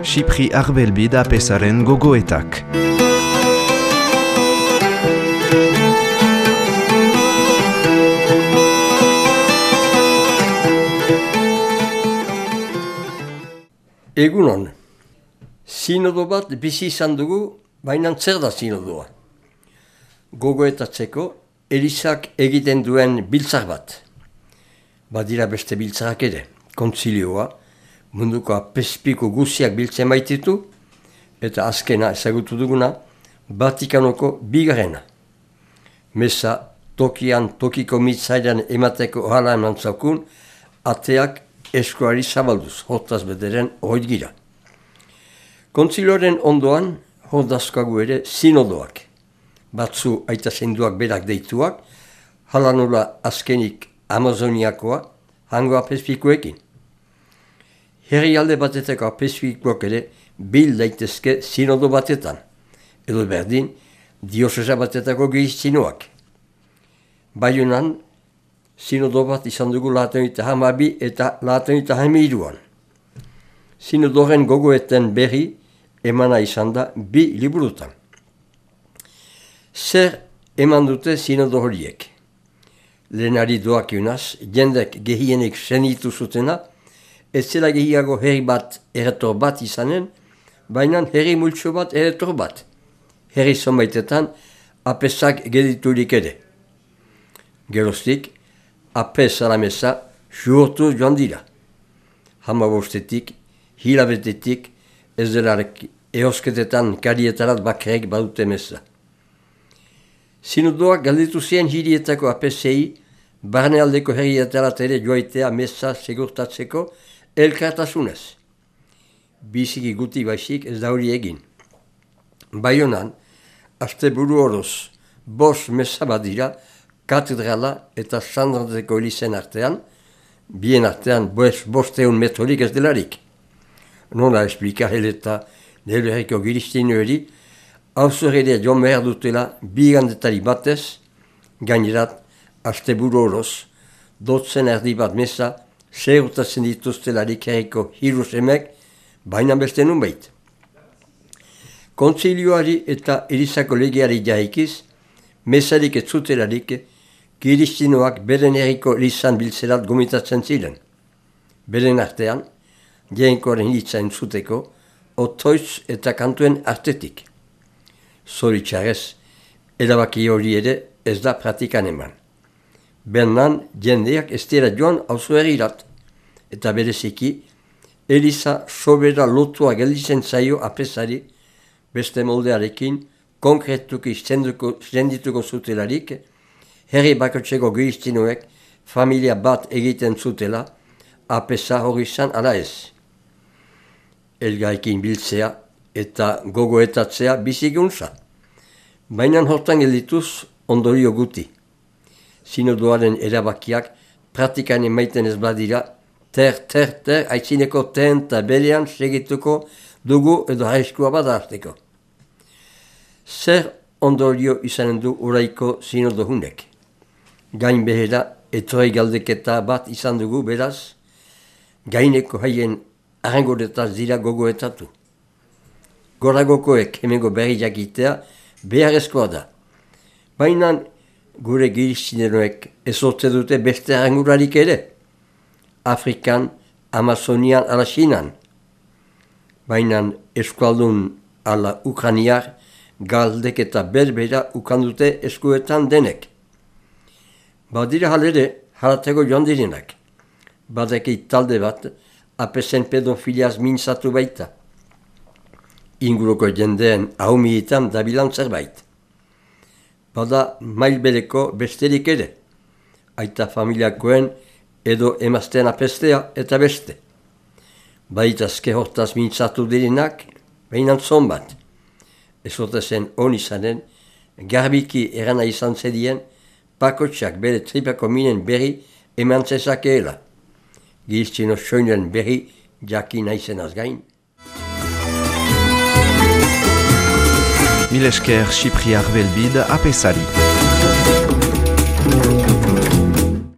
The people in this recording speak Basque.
Xipri Arbelbid apesaren gogoetak. Egunon, sinodo bat bizi izan dugu, baina zer da sinodoa. Gogoetatzeko, Elizak egiten duen biltzar bat. Badira beste biltzarak ere, kontzilioa, munduko apezpiko guziak biltzen baititu, eta azkena ezagutu duguna, Vatikanoko bigarrena. Meza tokian tokiko mitzailan emateko ohala eman zaukun, ateak eskuari zabalduz, hortaz bederen hori gira. Kontzilioaren ondoan, hordazkoagu ere sinodoak. Batzu aita zenduak berak deituak, hala nola azkenik Amazoniakoa, hango apezpikoekin. Herrialde batetako apezpikoak ere bil daitezke sinodo batetan, edo berdin diosesa batetako gehiztinoak. Baionan, sinodo bat izan dugu 1912 eta 1913. Sinodoren gogoeten berri emana izan da 2 liburutan. Zer eman dute sinodo horiek? Lehenari doakionaz, jendek gehienek senitu zutena, ez zela gehiago herri bat erretor bat izanen, baina herri multso bat erretor bat. Herri zonbaitetan apezak gediturik ere. Geroztik, apez alameza juhortu joan dira. Hamabostetik, hilabetetik, ez delarek eosketetan karietarat bakarek badute meza. Sinodoak galditu zien hirietako apezei, barnealdeko herrietarat ere joaitea meza segurtatzeko elkartasunez. Biziki guti baizik ez da hori egin. Baionan, asteburu oroz, 5 meza badira, katedrala eta Sandrantzeko elizen artean, bien artean 500 metrorik ez delarik. Nola esplika heleta neherriko giristinioeri, hauzorrelea joan behar dutela bigandetari batez, gainerat, asteburu oroz, 12 erdi bat meza, segurtatzen dituztelarik herriko hirusemek, baina beste nunbait. Kontzilioari eta Elizako legeari jaikiz, mezarik ez zutelarik, kiristinoak beren herriko elizan biltzerat gomitatzen ziren. Beren artean, jainkoaren hitza entzuteko, otoitz eta kantuen artetik. Zoritxarrez, erabaki hori ere ez da pratikan eman. Bernan, jendeak ez dira joan auzoherrirat, eta bereziki, Eliza sobera lotua gelditzen zaio apezari, beste moldearekin, konkretuki sendituko zutelarik, herri bakotzeko gehiztinoek familia bat egiten zutela, apeza hori izan ala ez. Elgaikin biltzea eta gogoetatzea biziguntza. Baina hortan geldituz ondorio guti. Sinodoaren erabakiak pratikan emaiten ez badira, ter, aitzineko ten eta belean segituko dugu edo haiskua badazteko. Zer ondorio izanen du oraiko sinodo hunek? Gain behera etorri galdeketa bat izan dugu beraz, gaineko haien arrangoretaz dira gogoetatu. Goragokoek hemengo berri jakitea beharrezkoa da. Baina gure giristineroek ezortze dute beste arrangurarik ere. Afrikan, Amazonian ala Chinan. Baina eskualdun ala Ukraniar galdek eta berbera ukandute eskuetan denek. Badira halere haratego joan direnak. Badeki talde bat apezen pedofiliaz mintzatu baita. Inguruko jendeen ahumietan dabilan zerbait. Bada mailbereko besterik ere. Aita familiakoen edo emazten apestea eta beste. Baitazke hortaz mintzatu direnak, behinan zonbat. Ezotezen on izanen, garbiki erana izan zedien, pakotxak bere tripako minen berri eman zezakeela. Giztino soinen berri jakin aizenaz gain. Mil esker Xipri Arbelbid apezari.